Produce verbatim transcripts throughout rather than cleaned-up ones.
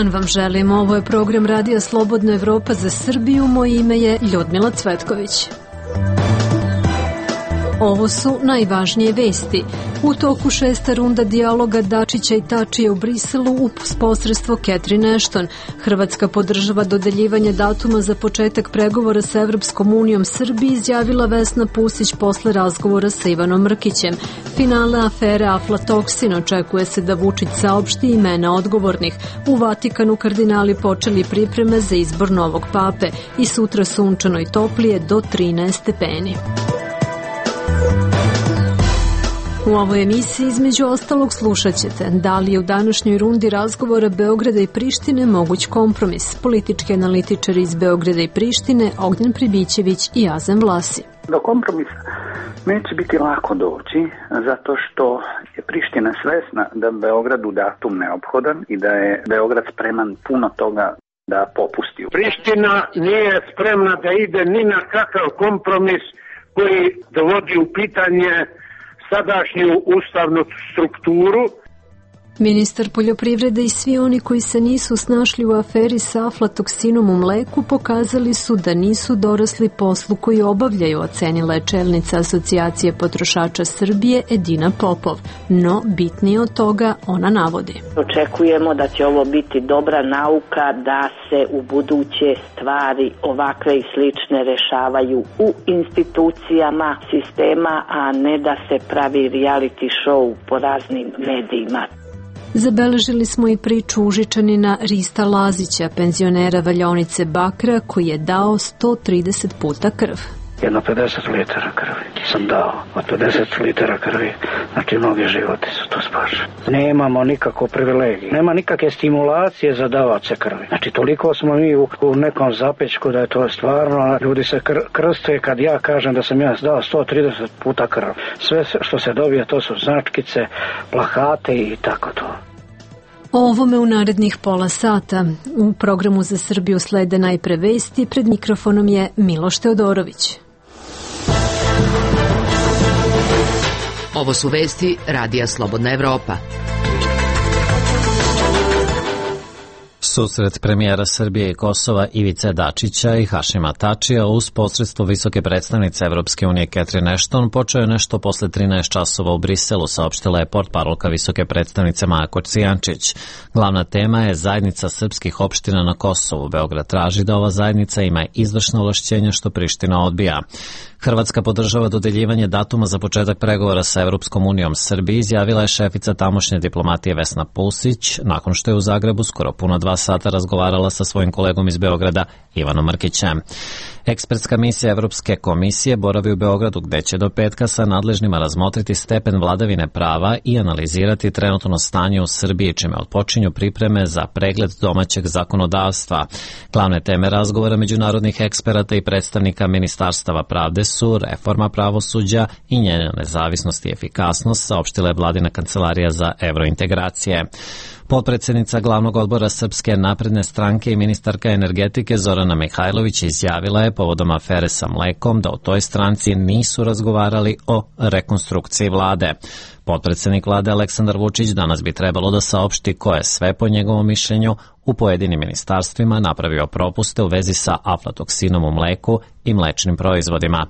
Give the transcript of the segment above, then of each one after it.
dan vam želim. Ovo je program Radija Slobodna Evropa za Srbiju. Moje ime je Ljudmila Cvetković. Ovo su najvažnije vesti. U toku šesta runda dijaloga Dačića i Tačija u Briselu uz posredstvo Catherine Ashton. Hrvatska podržava dodeljivanje datuma za početak pregovora sa Evropskom unijom Srbiji, izjavila Vesna Pusić posle razgovora sa Ivanom Mrkićem. Finale afere aflatoksin, očekuje se da Vučić saopšti imena odgovornih. U Vatikanu kardinali počeli pripreme za izbor novog pape i sutra sunčano i toplije do trinaest stepeni. U ovoj emisiji između ostalog slušat ćete da li je u današnjoj rundi razgovora Beograda i Prištine moguć kompromis. Politički analitičari iz Beograda i Prištine Ognjen Pribićević i Azem Vlasi. Do kompromisa neće biti lako doći zato što je Priština svesna da Beogradu datum neophodan i da je Beograd spreman puno toga da popusti. Priština nije spremna da ide ni na kakav kompromis koji dovodi u pitanje sadašnju ustavnu strukturu. Ministar poljoprivrede i svi oni koji se nisu snašli u aferi sa aflatoksinom u mleku pokazali su da nisu dorasli poslu koji obavljaju, ocenila je čelnica Asocijacije potrošača Srbije Edina Popov. No, bitnije od toga ona navodi. Očekujemo da će ovo biti dobra nauka da se u buduće stvari ovakve i slične rešavaju u institucijama sistema, a ne da se pravi reality show po raznim medijima. Zabeležili smo i priču Užičanina Rista Lazića, penzionera valjaonice Bakra, koji je dao sto trideset puta krv. Jedno pedeset litara krvi sam dao, od pedeset litara krvi, znači mnogi životi su to spašeni. Nemamo nikako privilegije, nema nikakve stimulacije za davace krvi. Znači toliko smo mi u, u nekom zapečku da je to stvarno, ljudi se kr, krste kad ja kažem da sam ja dao sto trideset puta krv. Sve što se dobije to su značkice, plakate i tako to. O ovome u narednih pola sata. U programu za Srbiju slede najpre vesti, pred mikrofonom je Miloš Teodorović. Ovo su vesti Radija Slobodna Evropa. Susret premijera Srbije i Kosova Ivice Dačića i Hašima Tačija uz posredstvo visoke predstavnice Evropske unije Catherine Ashton počeo je nešto posle trinaest časova u Briselu, saopštila je portparolka visoke predstavnice Maja Kocijančić. Glavna tema je zajednica srpskih opština na Kosovu. Beograd traži da ova zajednica ima izvršna ovlašćenja što Priština odbija. Hrvatska podržava dodeljivanje datuma za početak pregovora sa Evropskom unijom Srbiji, izjavila je šefica tamošnje diplomatije Vesna Pusić, nakon što je u Zagrebu skoro puno dva sata razgovarala sa svojim kolegom iz Beograda Ivanom Mrkićem. Ekspertska misija Evropske komisije boravi u Beogradu, gde će do petka sa nadležnima razmotriti stepen vladavine prava i analizirati trenutno stanje u Srbiji, čime otpočinju pripreme za pregled domaćeg zakonodavstva. Glavne teme razgovora međunarodnih eksperata i predstavnika ministarstava pravde su reforma pravosuđa i njena nezavisnost i efikasnost, saopštila je vladina kancelarija za evrointegracije. Potpredsednica glavnog odbora Srpske napredne stranke i ministarka energetike Zorana Mihajlović izjavila je povodom afere sa mlekom da u toj stranci nisu razgovarali o rekonstrukciji vlade. Potpredsednik vlade Aleksandar Vučić danas bi trebalo da saopšti ko je sve po njegovom mišljenju u pojedinim ministarstvima napravio propuste u vezi sa aflatoksinom u mleku i mlečnim proizvodima.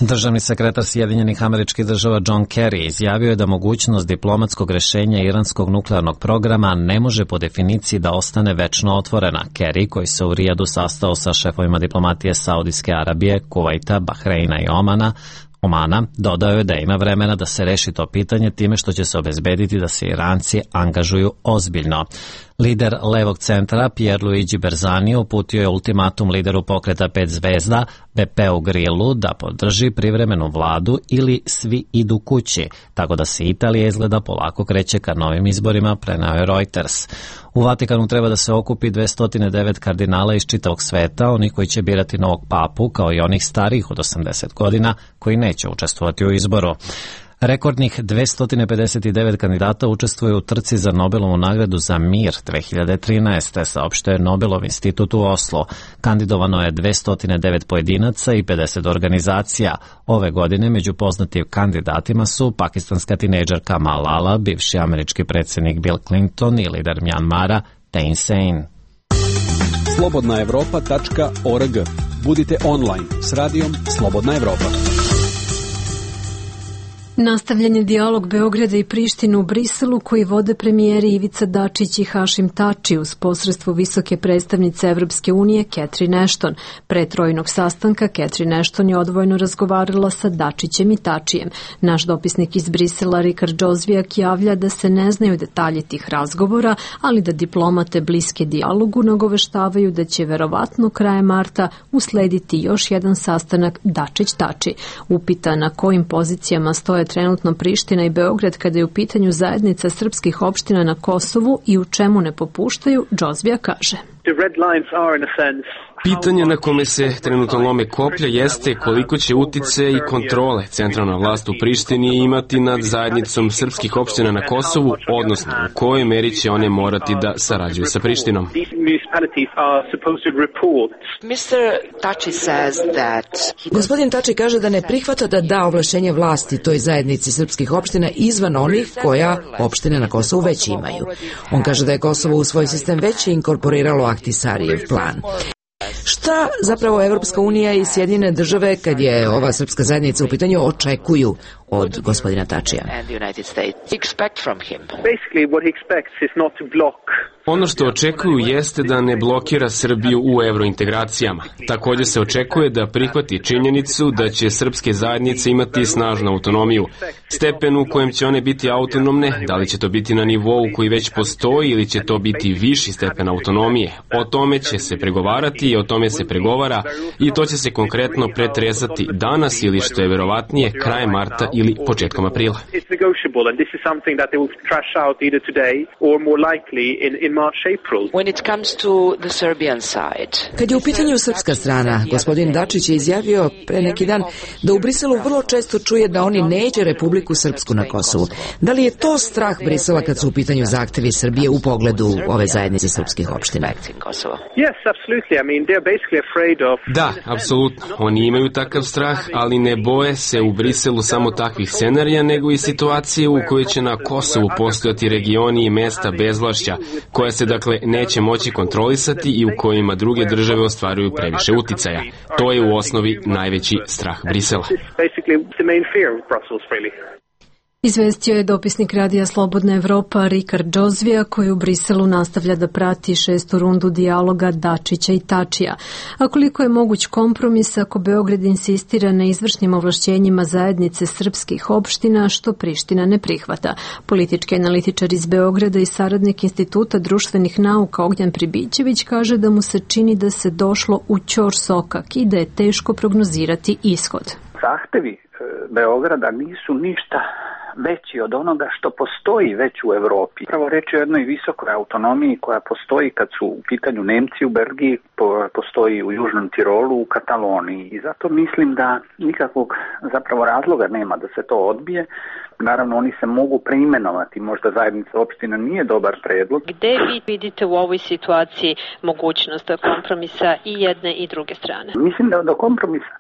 Državni sekretar Sjedinjenih Američkih Država John Kerry izjavio je da mogućnost diplomatskog rešenja iranskog nuklearnog programa ne može po definiciji da ostane večno otvorena. Kerry, koji se u Rijadu sastao sa šefovima diplomatije Saudijske Arabije, Kuvajta, Bahreina i Omana, Omana, dodao je da ima vremena da se reši to pitanje time što će se obezbediti da se Iranci angažuju ozbiljno. Lider levog centra Pierluigi Berzani uputio je ultimatum lideru pokreta pet zvezda Beppeu Grillu da podrži privremenu vladu ili svi idu kući, tako da se Italija izgleda polako kreće ka novim izborima, preneo je Reuters. U Vatikanu treba da se okupi dvesta devet kardinala iz čitavog sveta, oni koji će birati novog papu, kao i onih starijih od osamdeset godina koji neće učestvovati u izboru. Rekordnih dvesta pedeset devet kandidata učestvuje u trci za Nobelovu nagradu za mir dve hiljade trinaeste. Saopštio je Nobelov institut u Oslo. Kandidovano je dvesta devet pojedinaca i pedeset organizacija. Ove godine među poznatim kandidatima su pakistanska tinejdžerka Malala, bivši američki predsjednik Bill Clinton i lider Mjanmara Thein Sein. slobodna evropa tačka org. Budite online s radijom Slobodna Evropa. Nastavljen je dijalog Beograda i Prištine u Briselu koji vode premijeri Ivica Dačić i Hašim Tači uz posredstvo visoke predstavnice Evropske unije Catherine Ashton. Pre trojnog sastanka Catherine Ashton je odvojeno razgovarala sa Dačićem i Tačijem. Naš dopisnik iz Brisela Rikard Džozvijak javlja da se ne znaju detalji tih razgovora, ali da diplomate bliske dijalogu nagoveštavaju da će verovatno krajem marta uslediti još jedan sastanak Dačić-Tači. Upita na kojim pozicijama stoje trenutno Priština i Beograd kada je u pitanju zajednica srpskih opština na Kosovu i u čemu ne popuštaju, Džozvija kaže. Pitanje na kome se trenutno lome koplja jeste koliko će utice i kontrole centralna vlast u Prištini imati nad zajednicom srpskih opština na Kosovu, odnosno u kojoj meri će one morati da sarađuju sa Prištinom. Gospodin Tači kaže da ne prihvata da da ovlašćenje vlasti toj zajednici srpskih opština izvan onih koja opštine na Kosovu već imaju. On kaže da je Kosovo u svoj sistem već inkorporiralo Ahtisarijev plan. Šta zapravo Evropska unija i Sjedinjene države, kad je ova srpska zajednica u pitanju, očekuju od gospodina Tačija? Ono što očekuju jeste da ne blokira Srbiju u evrointegracijama. Također se očekuje da prihvati činjenicu da će srpske zajednice imati snažnu autonomiju. Stepen u kojem će one biti autonomne, da li će to biti na nivou koji već postoji ili će to biti viši stepen autonomije. O tome će se pregovarati i o tome se pregovara i to će se konkretno pretresati danas ili što je verovatnije krajem marta ili početkom aprila. Kad je u pitanju srpska strana, gospodin Dačić je izjavio pre neki dan da u Briselu vrlo često čuje da oni neće Republiku Srpsku na Kosovu. Da li je to strah Brisela kad su u pitanju zahtevi Srbije u pogledu ove zajednice srpskih opština? Da, apsolutno. Oni imaju takav strah, ali ne boje se u Briselu samo takvih scenarija, nego i situacije u kojoj će na Kosovu postojati regioni i mesta bezvlašća, koja se dakle neće moći kontrolisati i u kojima druge države ostvaruju previše uticaja. To je u osnovi najveći strah Brisela. Izvestio je dopisnik radija Slobodna Evropa Rikard Džozvija koji u Briselu nastavlja da prati šestu rundu dijaloga Dačića i Tačija. A koliko je moguć kompromis ako Beograd insistira na izvršnim ovlašćenjima zajednice srpskih opština što Priština ne prihvata. Politički analitičar iz Beograda i saradnik Instituta društvenih nauka Ognjan Pribićević kaže da mu se čini da se došlo u ćor sokak i da je teško prognozirati ishod. Zahtevi Beograda nisu ništa veći od onoga što postoji već u Evropi. Pravo reći o jednoj visokoj autonomiji koja postoji kad su u pitanju Nemci u Belgiji, postoji u Južnom Tirolu, u Kataloniji i zato mislim da nikakvog zapravo razloga nema da se to odbije. Naravno, oni se mogu preimenovati, možda zajednica opština nije dobar predlog. Gde vi vidite u ovoj situaciji mogućnost kompromisa i jedne i druge strane? Mislim da do kompromisa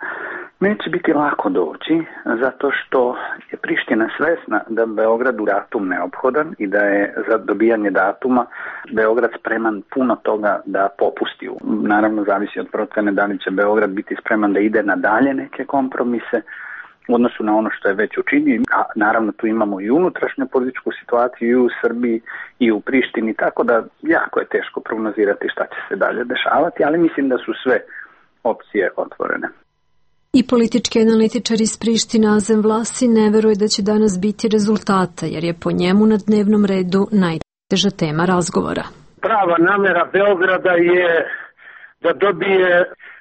neće biti lako doći, zato što je Priština svesna da Beogradu datum neophodan i da je za dobijanje datuma Beograd spreman puno toga da popusti. Naravno, zavisi od procene da li će Beograd biti spreman da ide na dalje neke kompromise u odnosu na ono što je već učinio, a naravno tu imamo i unutrašnju političku situaciju i u Srbiji i u Prištini, tako da jako je teško prognozirati šta će se dalje dešavati, ali mislim da su sve opcije otvorene. I politički analitičar iz Priština Azem Vlasi ne veruje da će danas biti rezultata, jer je po njemu na dnevnom redu najteža tema razgovora. Prava namera Beograda je da dobije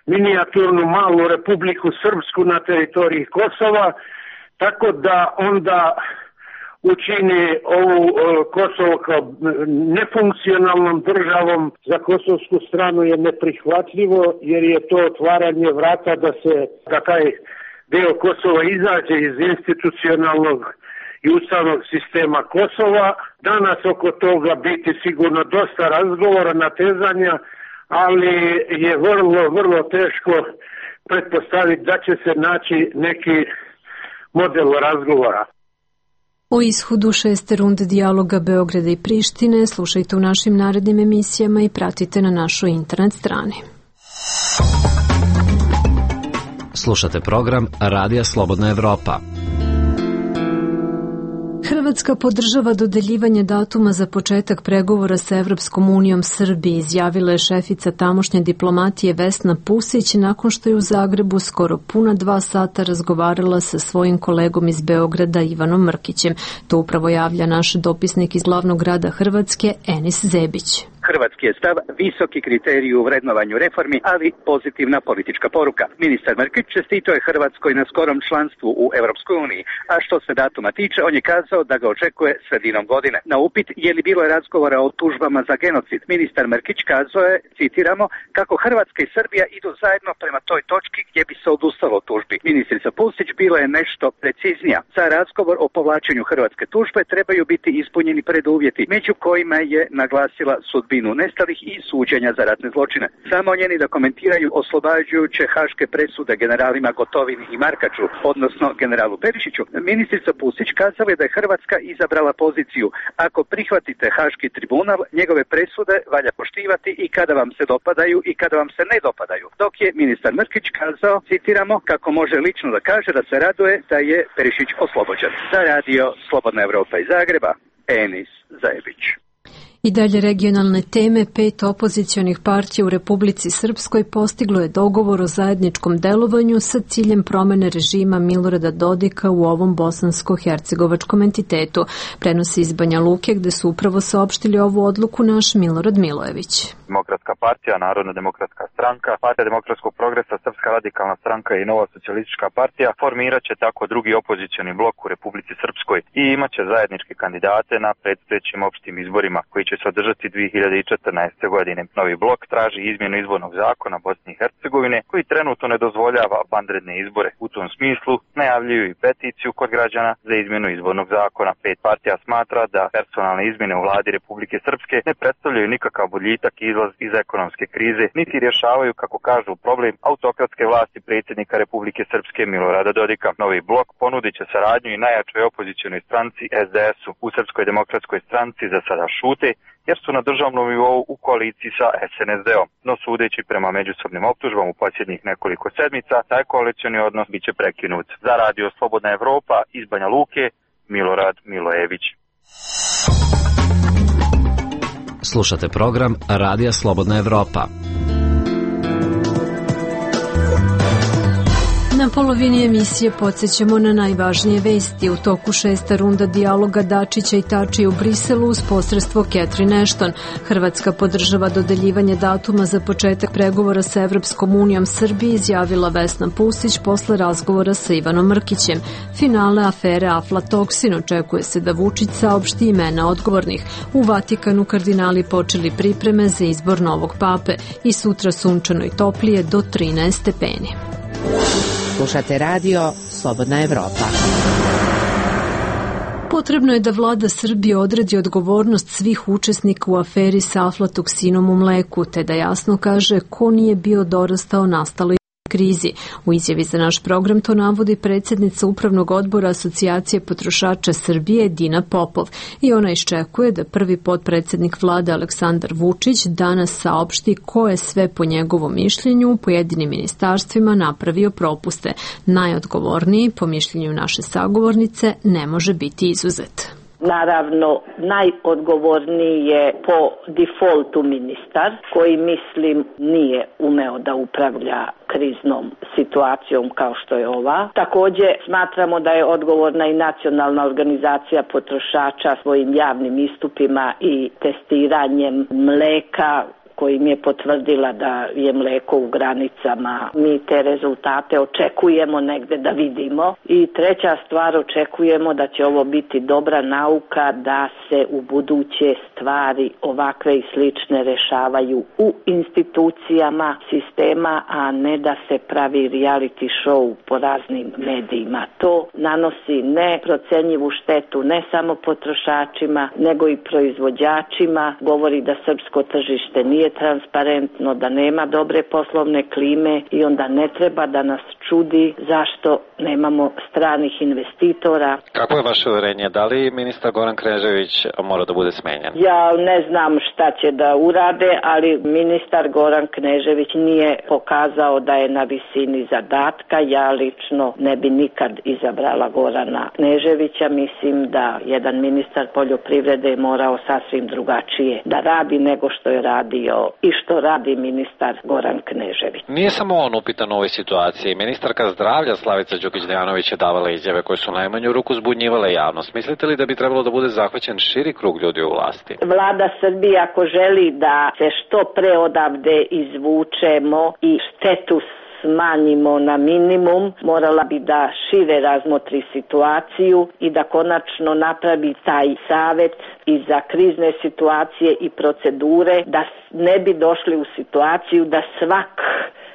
minijaturnu malu Republiku Srpsku na teritoriji Kosova, tako da onda učini ovu Kosovo kao nefunkcionalnom državom. Za kosovsku stranu je neprihvatljivo jer je to otvaranje vrata da se da taj deo Kosova izađe iz institucionalnog i ustavnog sistema Kosova. Danas oko toga biti sigurno dosta razgovora, natezanja, ali je vrlo, vrlo teško pretpostaviti da će se naći neki model razgovora. O ishodu šeste runde dijaloga Beograda i Prištine slušajte u našim narednim emisijama i pratite na našoj internet strani. Slušate program Radija Slobodna Evropa. Hrvatska podržava dodeljivanje datuma za početak pregovora sa Evropskom unijom Srbiji, izjavila je šefica tamošnje diplomatije Vesna Pusić nakon što je u Zagrebu skoro puna dva sata razgovarala sa svojim kolegom iz Beograda Ivanom Mrkićem. To upravo javlja naš dopisnik iz glavnog grada Hrvatske Enis Zebić. Hrvatski je stav visoki kriterij u vrednovanju reformi, ali pozitivna politička poruka. Ministar Mrkić čestitao je Hrvatskoj na skorom članstvu u Evropskoj uniji, a što se datuma tiče, on je kazao da ga očekuje sredinom godine. Na upit je li bilo razgovora o tužbama za genocid, ministar Mrkić kazao je, citiramo, kako Hrvatska i Srbija idu zajedno prema toj točki gdje bi se odustalo od tužbi. Ministrica Pusić bila je nešto preciznija. Za razgovor o povlačenju hrvatske tužbe trebaju biti ispunjeni preduvjeti, među kojima je naglasila sudbinu nestalih i suđenja za ratne zločine. Samo njeni da komentiraju oslobađajuće haške presude generalima Gotovini i Markaču, odnosno generalu Perišiću. Ministrica Pusić kazala je da je Hrvatska izabrala poziciju: ako prihvatite haški tribunal, njegove presude valja poštivati i kada vam se dopadaju i kada vam se ne dopadaju. Dok je ministar Mrkić kazao, citiramo, kako može lično da kaže da se raduje da je Perišić oslobođen. Za radio Slobodna Evropa iz Zagreba, Enis Zajebić. I dalje regionalne teme, pet opozicionih partija u Republici Srpskoj postiglo je dogovor o zajedničkom delovanju sa ciljem promene režima Milorada Dodika u ovom bosansko-hercegovačkom entitetu. Prenosi iz Banja Luke gde su upravo saopštili ovu odluku naš Milorad Milojević. Demokratska partija, Narodna demokratska stranka, Partija demokratskog progresa, Srpska radikalna stranka i Nova socijalistička partija formirat će tako drugi opozicioni blok u Republici Srpskoj i imat će zajedničke kandidate na predstojećim opštim izborima koji će se održati dve hiljade četrnaeste. godine. Novi blok traži izmjenu izbornog zakona Bosne i Hercegovine koji trenutno ne dozvoljava vanredne izbore. U tom smislu najavljuju i peticiju kod građana za izmjenu izbornog zakona. Pet partija smatra da personalne izmjene u vladi Republike Srpske ne predstavljaju nikakav boljitak i izlaz iz ekonomske krize, niti rješavaju, kako kažu, problem autokratske vlasti predsjednika Republike Srpske Milorada Dodika. Novi blok ponudit će saradnju i najjačoj opozicionoj stranci es de es-u. U Srpskoj demokratskoj stranci za sada šute, jer su na državnom nivou u koaliciji sa es en es de-om. No sudeći prema međusobnim optužbama u posljednjih nekoliko sedmica, taj koalicioni odnos bit će prekinut. Za radio Slobodna Evropa iz Banja Luke, Milorad Milojević. Slušate program Radija Slobodna Evropa. Na polovini emisije podsjećamo na najvažnije vesti. U toku šesta runda dijaloga Dačića i Tačija u Briselu uz posredstvo Catherine Ashton. Hrvatska podržava dodeljivanje datuma za početak pregovora sa Evropskom unijom Srbiji, izjavila Vesna Pusić posle razgovora sa Ivanom Mrkićem. Finale afere aflatoksin, očekuje se da Vučić saopšti imena odgovornih. U Vatikanu kardinali počeli pripreme za izbor novog pape i sutra sunčano i toplije do trinaest stepeni. Slušate radio Slobodna Evropa. Potrebno je da vlada Srbije odredi odgovornost svih učesnika u aferi sa aflatoksinom u mleku, te da jasno kaže ko nije bio dorastao nastaloj krizi. U izjavi za naš program to navodi predsjednica Upravnog odbora Asocijacije potrošača Srbije Dina Popov i ona iščekuje da prvi potpredsjednik vlade Aleksandar Vučić danas saopšti ko je sve po njegovom mišljenju u pojedinim ministarstvima napravio propuste. Najodgovorniji, po mišljenju naše sagovornice, ne može biti izuzet. Naravno, najodgovorniji je po defaultu ministar, koji, mislim, nije umeo da upravlja kriznom situacijom kao što je ova. Također smatramo da je odgovorna i nacionalna organizacija potrošača svojim javnim istupima i testiranjem mleka kojim je potvrdila da je mlijeko u granicama. Mi te rezultate očekujemo negde da vidimo. I treća stvar, očekujemo da će ovo biti dobra nauka da se u buduće stvari ovakve i slične rešavaju u institucijama sistema, a ne da se pravi reality show po raznim medijima. To nanosi neprocenjivu štetu ne samo potrošačima, nego i proizvođačima. Govori da srpsko tržište nije transparentno, da nema dobre poslovne klime i onda ne treba da nas čudi zašto nemamo stranih investitora. Kako je vaše uverenje? Da li ministar Goran Knežević mora da bude smenjen? Ja ne znam šta će da urade, ali ministar Goran Knežević nije pokazao da je na visini zadatka. Ja lično ne bi nikad izabrala Gorana Kneževića. Mislim da jedan ministar poljoprivrede je morao sasvim drugačije da radi nego što je radio i što radi ministar Goran Knežević. Nije samo on upitan u ovoj situaciji. Ministarka zdravlja Slavica Đukić-Dejanović je davala izjave koje su najmanju ruku zbunjivale javnost. Mislite li da bi trebalo da bude zahvaćen širi krug ljudi u vlasti? Vlada Srbije ako želi da se što pre odavde izvučemo i štetu smanjimo na minimum, morala bi da šire razmotri situaciju i da konačno napravi taj savet i za krizne situacije i procedure, da ne bi došli u situaciju da svak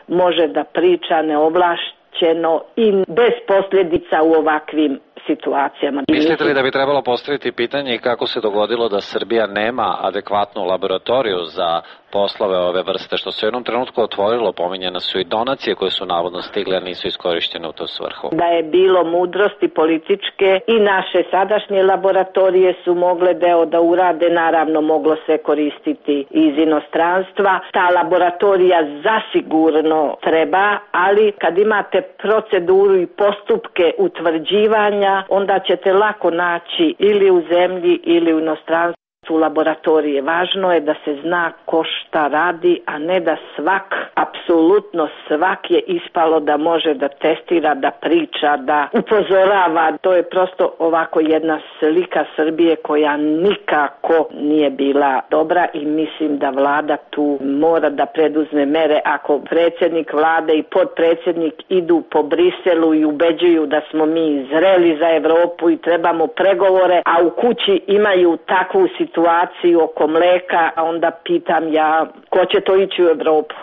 može da priča neovlašćeno i bez posljedica u ovakvim situacijama. Mislite li da bi trebalo postaviti pitanje kako se dogodilo da Srbija nema adekvatnu laboratoriju za poslove ove vrste, što se u jednom trenutku otvorilo, pominjene su i donacije koje su navodno stigle, a nisu iskorištene u tu svrhu. Da je bilo mudrosti političke i naše sadašnje laboratorije su mogle deo da urade, naravno moglo se koristiti iz inostranstva. Ta laboratorija zasigurno treba, ali kad imate proceduru i postupke utvrđivanja, onda ćete lako naći ili u zemlji ili u inostranstvu u laboratorije. Važno je da se zna ko šta radi, a ne da svak, apsolutno svak je ispalo da može da testira, da priča, da upozorava. To je prosto ovako jedna slika Srbije koja nikako nije bila dobra i mislim da vlada tu mora da preduzme mere. Ako predsjednik vlade i podpredsjednik idu po Briselu i ubeđuju da smo mi zreli za Evropu i trebamo pregovore, a u kući imaju takvu situaciju situaciju oko mleka, a onda pitam ja ko će to ići u Evropu.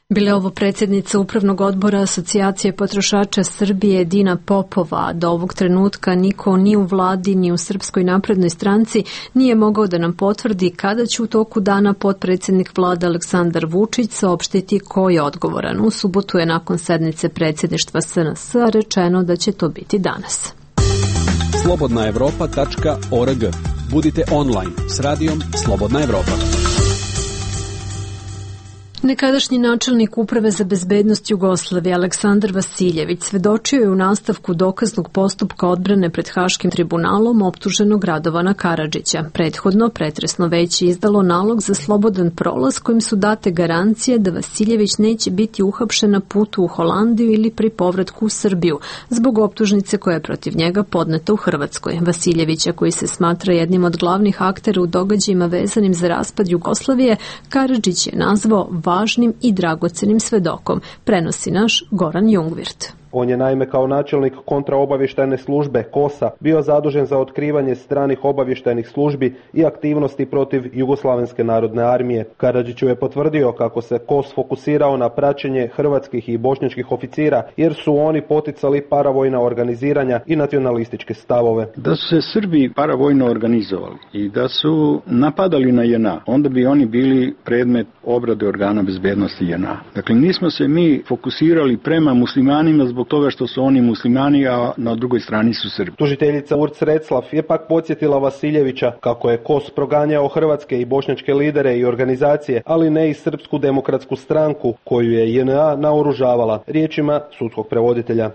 Bila ovo predsjednica Upravnog odbora Asocijacije potrošača Srbije Dina Popova. Do ovog trenutka niko ni u vladi ni u Srpskoj naprednoj stranci nije mogao da nam potvrdi kada će u toku dana potpredsjednik vlade Aleksandar Vučić saopštiti ko je odgovoran. U subotu je nakon sednice predsjedništva S N S rečeno da će to biti danas. slobodna evropa tačka org. Budite online s radijom Slobodna Evropa. Nekadašnji načelnik Uprave za bezbednost Jugoslavije Aleksandar Vasiljević svedočio je u nastavku dokaznog postupka odbrane pred Haškim tribunalom optuženog Radovana Karadžića. Prethodno pretresno veće izdalo nalog za slobodan prolaz kojim su date garancije da Vasiljević neće biti uhapšen na putu u Holandiju ili pri povratku u Srbiju zbog optužnice koja je protiv njega podneta u Hrvatskoj. Vasiljevića, koji se smatra jednim od glavnih aktera u događajima vezanim za raspad Jugoslavije, Karadžić je nazvao važnim i dragocenim svedokom, prenosi naš Goran Jungvirt. On je naime kao načelnik kontraobavještajne službe KOS-a bio zadužen za otkrivanje stranih obavještajnih službi i aktivnosti protiv Jugoslavenske narodne armije. Karadžiću je potvrdio kako se KOS fokusirao na praćenje hrvatskih i bošnjačkih oficira jer su oni poticali paravojna organiziranja i nacionalističke stavove. Da su se Srbi paravojno organizovali i da su napadali na J N A, onda bi oni bili predmet obrade organa bezbednosti J N A. Dakle, nismo se mi fokusirali prema muslimanima zbog toga što su oni muslimani, a na drugoj strani su Srbi. Tužiteljica Urc Reclav je pak podsjetila Vasiljevića kako je KOS proganjao hrvatske i bošnjačke lidere i organizacije, ali ne i Srpsku demokratsku stranku koju je J N A naoružavala, riječima sudskog prevoditelja.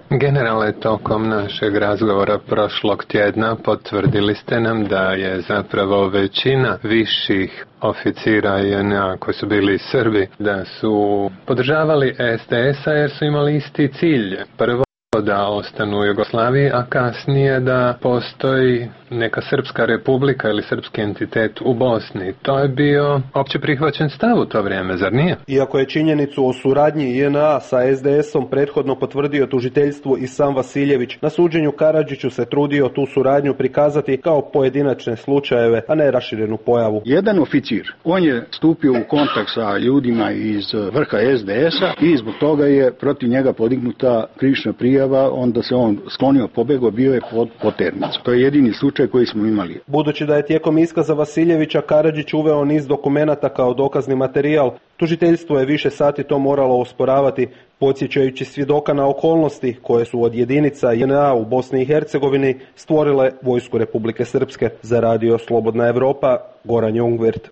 Generale, tokom našeg razgovora prošlog tjedna potvrdili ste nam da je zapravo većina viših oficira J N A koji su bili Srbi, da su podržavali S D S-a jer su imali isti cilj. Prvo prvo da ostanu u Jugoslaviji, a kasnije da postoji neka srpska republika ili srpski entitet u Bosni. To je bio opće prihvaćen stav u to vrijeme, zar nije? Iako je činjenicu o suradnji J N A sa S D S-om prethodno potvrdio tužiteljstvu i sam Vasiljević, na suđenju Karadžiću se trudio tu suradnju prikazati kao pojedinačne slučajeve, a ne raširenu pojavu. Jedan oficir, on je stupio u kontakt sa ljudima iz vrha S D S-a i zbog toga je protiv njega podignuta krivična prijava, onda se on sklonio, pobegao, bio je pod poternicom. To je jedini slučaj koji smo imali. Budući da je tijekom iskaza Vasiljevića Karadžić uveo niz dokumenata kao dokazni materijal, tužiteljstvo je više sati to moralo osporavati, podsjećajući svjedoka na okolnosti koje su od jedinica J N A u Bosni i Hercegovini stvorile Vojsku Republike Srpske. Za radio Slobodna Evropa, Goran Jungwirth.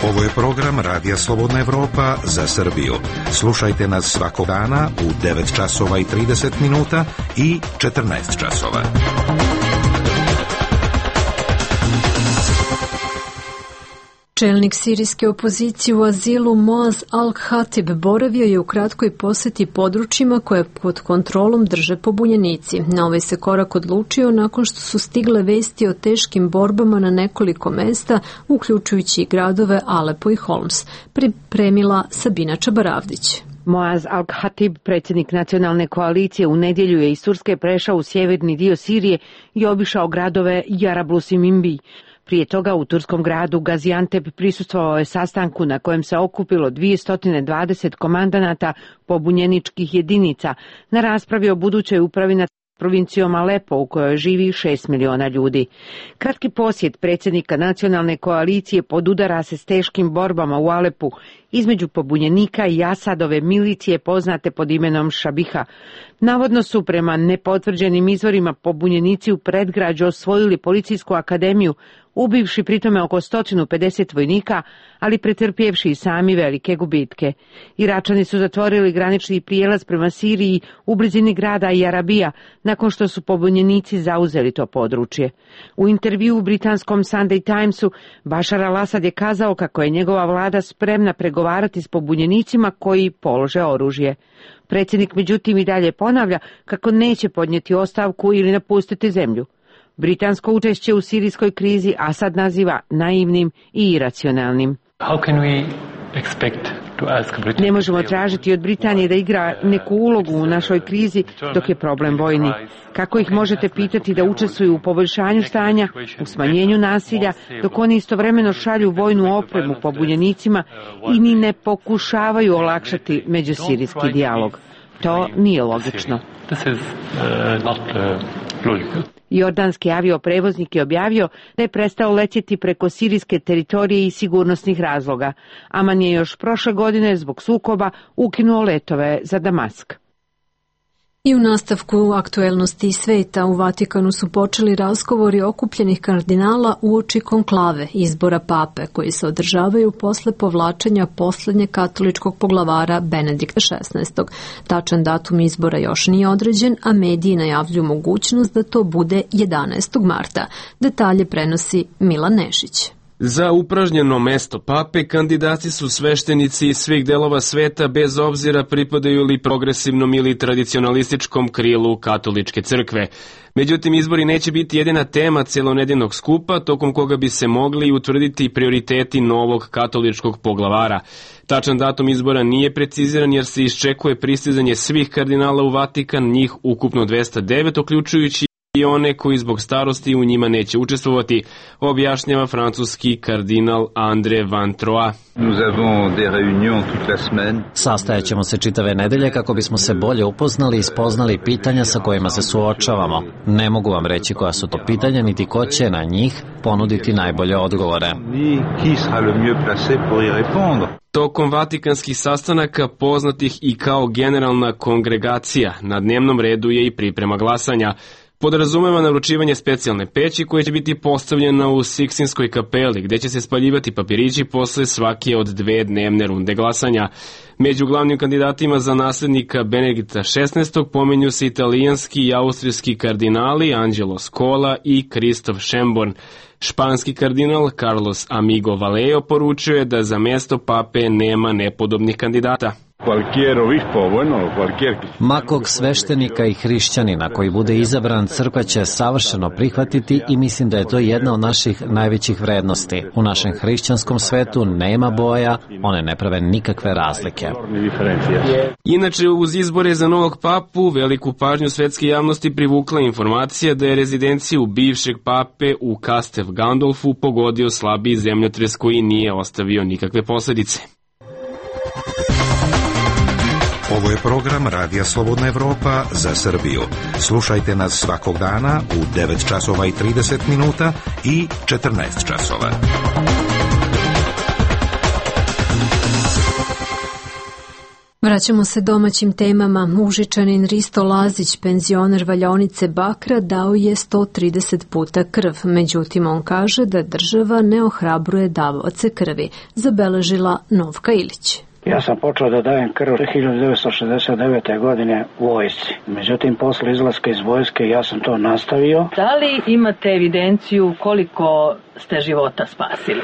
Ovo je program Radija Slobodna Evropa za Srbiju. Slušajte nas svakog dana u devet časova i trideset minuta i četrnaest časova. Čelnik sirijske opozicije u azilu Moaz Al-Khatib boravio je u kratkoj posjeti područjima koje pod kontrolom drže pobunjenici. Na ovaj se korak odlučio nakon što su stigle vesti o teškim borbama na nekoliko mesta, uključujući i gradove Alepo i Holms. Pripremila Sabina Čabaravdić. Moaz Al-Khatib, predsjednik nacionalne koalicije, u nedjelju je iz Turske prešao u sjeverni dio Sirije i obišao gradove Jarablus i Minbi. Prije toga u turskom gradu Gaziantep prisustvovao je sastanku na kojem se okupilo dvjesto dvadeset komandanata pobunjeničkih jedinica na raspravi o budućoj upravi nad provincijom Alepo u kojoj živi šest miliona ljudi. Kratki posjet predsjednika nacionalne koalicije podudara se s teškim borbama u Alepu između pobunjenika i Asadove milicije poznate pod imenom Šabiha. Navodno su prema nepotvrđenim izvorima pobunjenici u predgrađu osvojili policijsku akademiju, ubivši pritome oko sto pedeset vojnika, ali pretrpjevši i sami velike gubitke. Iračani su zatvorili granični prijelaz prema Siriji u blizini grada Jarabija, nakon što su pobunjenici zauzeli to područje. U intervju u britanskom Sunday Timesu Bashar al-Assad je kazao kako je njegova vlada spremna pregovarati s pobunjenicima koji polože oružje. Predsjednik međutim i dalje ponavlja kako neće podnijeti ostavku ili napustiti zemlju. Britansko učešće u sirijskoj krizi Asad naziva naivnim i iracionalnim. Ne možemo tražiti od Britanije da igra neku ulogu u našoj krizi dok je problem vojni. Kako ih možete pitati da učestvuju u poboljšanju stanja, u smanjenju nasilja, dok oni istovremeno šalju vojnu opremu pobunjenicima i ni ne pokušavaju olakšati međusirijski dijalog? To nije logično. Jordanski avioprevoznik je objavio da je prestao letjeti preko sirijske teritorije iz sigurnosnih razloga. Aman je još prošle godine zbog sukoba ukinuo letove za Damask. I u nastavku aktuelnosti sveta u Vatikanu su počeli razgovori okupljenih kardinala uoči konklave izbora pape koji se održavaju posle povlačenja posljednjeg katoličkog poglavara Benedikta šesnaestog. Tačan datum izbora još nije određen, a mediji najavljuju mogućnost da to bude jedanaestog marta. Detalje prenosi Milan Nešić. Za upražnjeno mesto pape kandidati su sveštenici iz svih delova sveta bez obzira pripadaju li progresivnom ili tradicionalističkom krilu katoličke crkve. Međutim, izbori neće biti jedina tema celonedjeljnog skupa tokom koga bi se mogli utvrditi prioriteti novog katoličkog poglavara. Tačan datum izbora nije preciziran jer se iščekuje pristizanje svih kardinala u Vatikan, njih ukupno dvesta devet, uključujući i one koji zbog starosti u njima neće učestvovati, objašnjava francuski kardinal André Van Troyes. Sastajat ćemo se čitave nedelje kako bismo se bolje upoznali i spoznali pitanja sa kojima se suočavamo. Ne mogu vam reći koja su to pitanja, niti ko će na njih ponuditi najbolje odgovore. Tokom vatikanskih sastanaka, poznatih i kao generalna kongregacija, na dnevnom redu je i priprema glasanja. Podrazumeva naručivanje specijalne peći koja će biti postavljena u Sikstinskoj kapeli, gdje će se spaljivati papirići posle svake od dve dnevne runde glasanja. Među glavnim kandidatima za nasljednika Benedikta šesnaestog pomenju se italijanski i austrijski kardinali Angelo Scola i Kristof Schönborn. Španski kardinal Carlos Amigo Vallejo poručuje da za mesto pape nema nepodobnih kandidata. Makog sveštenika i hrišćanina koji bude izabran, crkva će savršeno prihvatiti i mislim da je to jedna od naših najvećih vrednosti. U našem hrišćanskom svetu nema boja, one ne prave nikakve razlike. Inače, uz izbore za novog papu, veliku pažnju svetske javnosti privukla informacija da je rezidenciju bivšeg pape u Castel Gandolfu pogodio slabiji zemljotres koji nije ostavio nikakve posledice. Ovo je program Radija Slobodna Evropa za Srbiju. Slušajte nas svakog dana u devet časova i trideset minuta i četrnaest časova. Vraćamo se domaćim temama. Užičanin Risto Lazić, penzioner valjaonice Bakra, dao je sto trideset puta krv. Međutim, on kaže da država ne ohrabruje davaoce krvi. Zabeležila Novka Ilić. Ja sam počeo da dajem krv hiljadu devetsto šezdeset devete. godine u vojsci. Međutim, posle izlaska iz vojske ja sam to nastavio. Da li imate evidenciju koliko ste života spasili?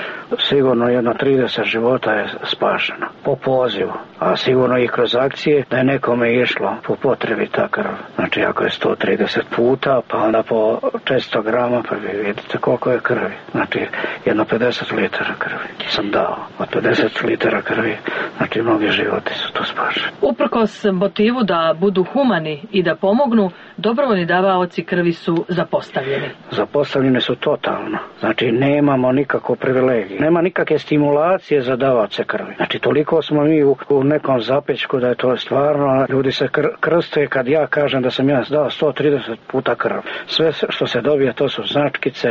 Sigurno jedno trideset života je spašeno po pozivu, a sigurno i kroz akcije da je nekome išlo po potrebi ta krv. Znači ako je sto trideset puta, pa onda po četiristo grama, pa vi vidite koliko je krvi. Znači jedno pedeset litara krvi sam dao. Od pedeset litara krvi, znači mnogi životi su tu spašeni. Uprkos motivu da budu humani i da pomognu, dobrovoljni davaoci krvi su zapostavljeni. Zapostavljeni su totalno. Znači nemamo nikakvu privilegiju. Nema nikakve stimulacije za davaoce krvi. Znači toliko smo mi u, u nekom zapečku da je to stvarno, ljudi se kr, krste kad ja kažem da sam ja dao sto trideset puta krv. Sve što se dobije to su značkice,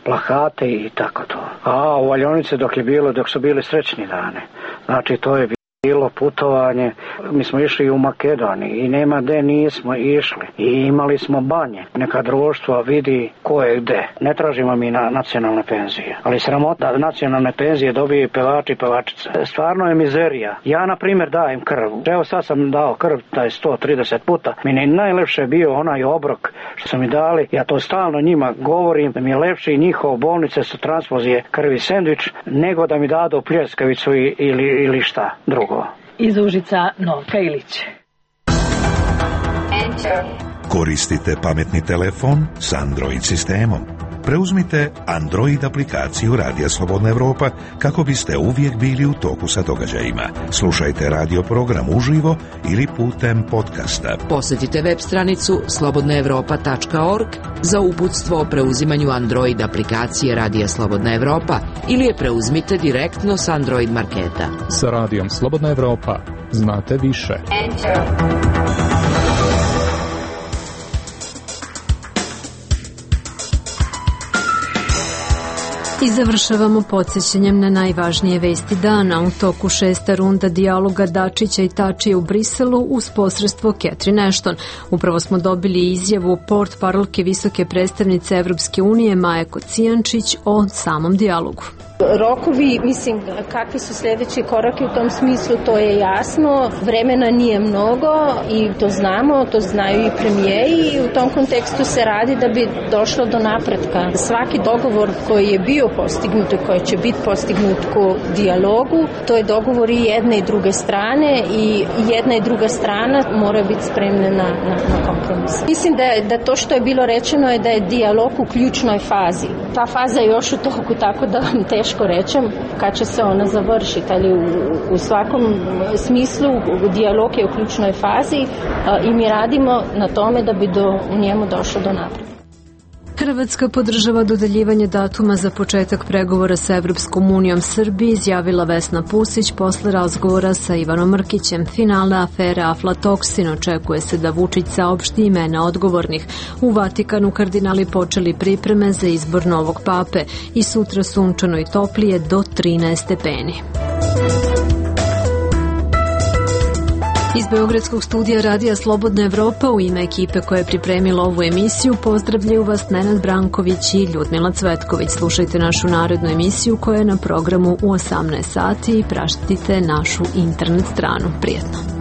plakate i tako to. A u valjaonici dok je bilo, dok su bili srećni dane. Znači to je bilo putovanje, mi smo išli u Makedoniji i nema gde nismo išli i imali smo banje. Neka društva vidi ko je gde. Ne tražimo mi na nacionalne penzije, ali sramota nacionalne penzije dobije pevači i pevačice. Stvarno je mizerija. Ja na primjer dajem krv. Evo sad sam dao krv taj sto trideset puta. Mi je najlepše bio onaj obrok što su mi dali. Ja to stalno njima govorim da mi je lepše i njihov bolnice su transfuzije krvi sendvič nego da mi dadu pljeskavicu ili, ili šta drugo. Iz Užica Novka Ilić. Koristite pametni telefon s Android sistemom. Preuzmite Android aplikaciju Radija Slobodna Evropa kako biste uvijek bili u toku sa događajima. Slušajte radio program uživo ili putem podcasta. Posjetite web stranicu slobodna evropa tačka org za uputstvo o preuzimanju Android aplikacije Radija Slobodna Evropa ili je preuzmite direktno s Android marketa. Sa Radijom Slobodna Evropa znate više. Enter. I završavamo podsjećanjem na najvažnije vesti dana. U toku šesta runda dijaloga Dačića i Tačija u Briselu uz posredstvo Catherine Ashton. Upravo smo dobili izjavu port parolke visoke predstavnice Evropske unije Maje Kocijančić o samom dijalogu. Rokovi, mislim, kakvi su sljedeći koraki u tom smislu, to je jasno. Vremena nije mnogo i to znamo, to znaju i premijeri i u tom kontekstu se radi da bi došlo do napretka. Svaki dogovor koji je bio postignut i koji će biti postignut u dijalogu, to je dogovor i jedne i druge strane i jedna i druga strana mora biti spremna na, na, na kompromis. Mislim da, je, da to što je bilo rečeno je da je dijalog u ključnoj fazi. Ta faza je još u toku, tako da vam teško rečem kad će se ona završiti, ali u, u svakom smislu dijalog je u ključnoj fazi a, i mi radimo na tome da bi do, u njemu došlo do napretka. Hrvatska podržava dodeljivanje datuma za početak pregovora sa Evropskom unijom Srbiji, izjavila Vesna Pusić posle razgovora sa Ivanom Mrkićem. Finale afere aflatoksin očekuje se da Vučić saopšti imena odgovornih. U Vatikanu kardinali počeli pripreme za izbor novog pape i sutra sunčano i toplije do trinaest stepeni. Iz Beogradskog studija Radija Slobodna Evropa u ime ekipe koja je pripremila ovu emisiju pozdravljaju vas Nenad Branković i Ljudmila Cvetković. Slušajte našu narednu emisiju koja je na programu u osamnaest sati i praštite našu internet stranu. Prijetno.